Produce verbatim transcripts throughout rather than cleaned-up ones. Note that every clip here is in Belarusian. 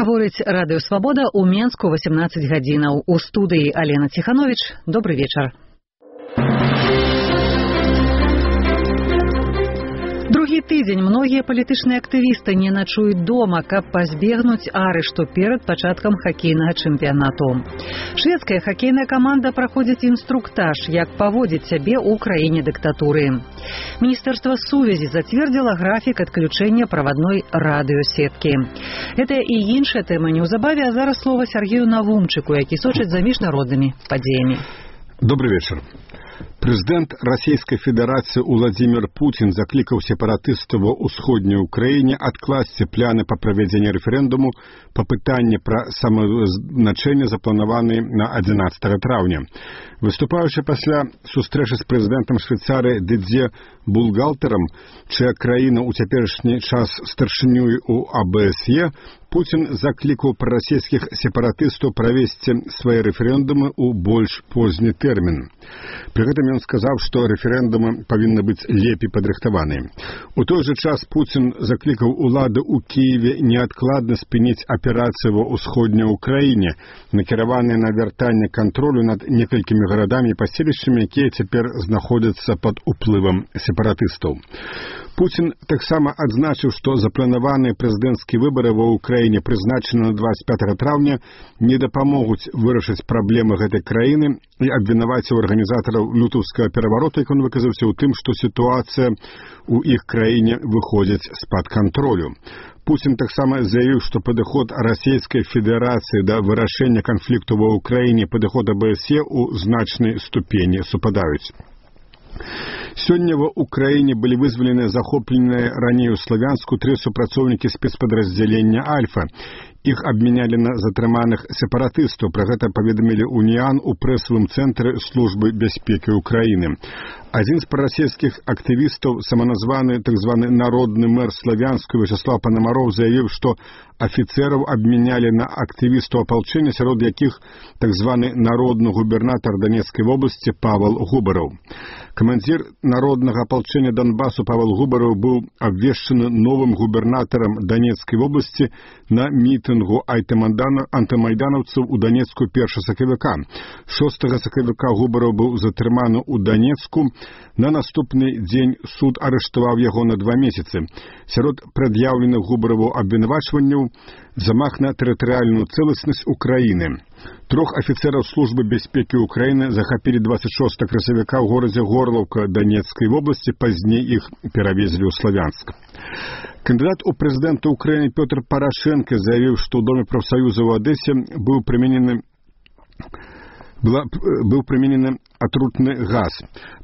Гаворыць радыё «Свабода» ў Менску восемнадцать гадзінаў. У студыі Алена Ціханович. Добры вечар. Другі тыдзень многія палітычныя актывісты не начуюць дома, каб пазбегнуць арышту перад пачаткам хакейнага чэмпіянату. Шведская хакейная каманда праходзіць інструктаж, як паводзіць сябе ў краіне дыктатуры. Міністэрства сувязі зацвердзіла графік адключэння правадной радыёсеткі. Гэта і іншая тэма неўзабаве, а зараз слова Сергею Навумчыку, які сочыць за міжнароднымі падзеямі. Добрый вечер. Прэзідэнт Расійскай Федэрацыі Уладзімір Пуцін заклікаў сепаратыстаў ва ўсходняй Украіне адкласці пляны па правядзенні рэферэндуму па пытанні пра самавызначэнне, запланаваны на адзінаццатага траўня. Выступаючы пасля сустрэчы з прэзідэнтам Швейцарыі Дидзье Булгалтэрам, чыя краіна ў цяперашні час старшынёй у А Бэ Эс Е, Пуцін заклікаў прарасійскіх сепаратыстаў правесці свае рэферэндумы ў больш позні тэрмін. Пры гэтым ён сказаў, што рэферэндумы павінны быць лепей падрыхтаваныя. У той жа час Пуцін заклікаў улады ў Кіеве неадкладна спыніць аперацыі ва ўсходняй Украіне, накіраваныя на вяртанне кантролю над некалькімі гарадамі і паселішчамі, якія цяпер знаходзяцца пад уплывам сепаратыстаў. Пуцін таксама адзначыў, што запланаваныя прэзідэнцкія выбары ва ўкраіне, прызначаны на двадцать пятага траўня, не дапамогуць вырашыць праблемы гэтай краіны, і абвінаваціў арганізатараў лютаўскага перавароту, як ён выказаўся, у тым, што сітуацыя ў іх краіне выходзіць з-пад кантролю. Пуцін таксама заявіў, што падыход Расійскай Федэрацыі да вырашэння канфлікту ва ўкраіне, падыход А Бэ Эс Е ў значнай ступені супадаюць. Сёння ва ўкраіне былі вызвалены захопленыя раней у Славянску тры супрацоўнікі спецпадраздзялення «Альфа». Іх абмянялі на затрыманых сепаратыстаў. Пра гэта паведамілі «Уніан» у прэсавым цэнтры Службы бяспекі Украіны. Адзін з прарасійскіх актывістаў, саманазваны так званы народны мэр Славянску Вячеслав Панамаров, заявіў, што афіцэраў абмянялі на актывістаў апалчэння, сярод якіх так званы народны губернатар Донецкай вобласці Павел Губараў. Камандзір народнага апалчэння Донбасу Павел Губараў быў абвешчаны новым губернатарам Донецкай вобласці на мітынгу антымайданаўцаў у Донецку першага сакавіка. шостага сакавіка Губараў быў затрыманы ў Донецку. На наступны дзень суд арыштаваў яго на два месяцы. Сярод прад'яўленых Губараву абвінавачванняў замах на тэрытарыяльную цэласнасць Украіны. Трох афіцэраў Службы бяспекі Украіны захапілі двадцать шостага красавіка ў горадзе Горлаўка Донецкай вобласці, пазней іх перавезлі ў Славянск. Кандыдат у прэзідэнта Украіны Пётр Парашенко заявіў, што ў Доме прафсаюза ў Адэсе быў прыменены Была, быў прыменены атрутны газ.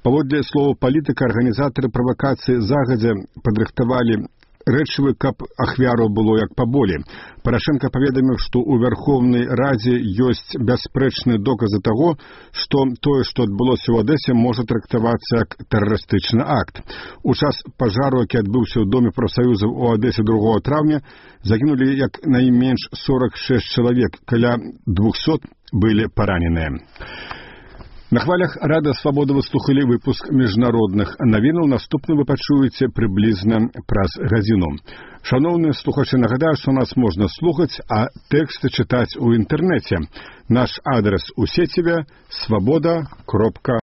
Паводле слова палітыка, арганізатары правакацыі загадзя падрыхтавалі рэчывы, каб ахвяраў было як паболей. Парашенко паведаміў, што ў Вярхоўнай Радзе ёсць бясспрэчныя доказы таго, што тое, што адбылося ў Адэсе, можа трактавацца як тэрарыстычны акт. У час пажару, які адбыўся ў Доме прафсаюзаў у Адэсе другога траўня, загінулі як найменш сорок шэсць чалавек, каля двухсот былі параненыя. На хвалях Радыё «Свабода» вы слухалі выпуск міжнародных навінаў. Наступны вы пачуеце прыблізна праз гадзіну. Шаноўныя слухачы, нагадаю, што нас можна слухаць, а тэксты чытаць у інтэрнэце. Наш адрес у сеціве свабода кропка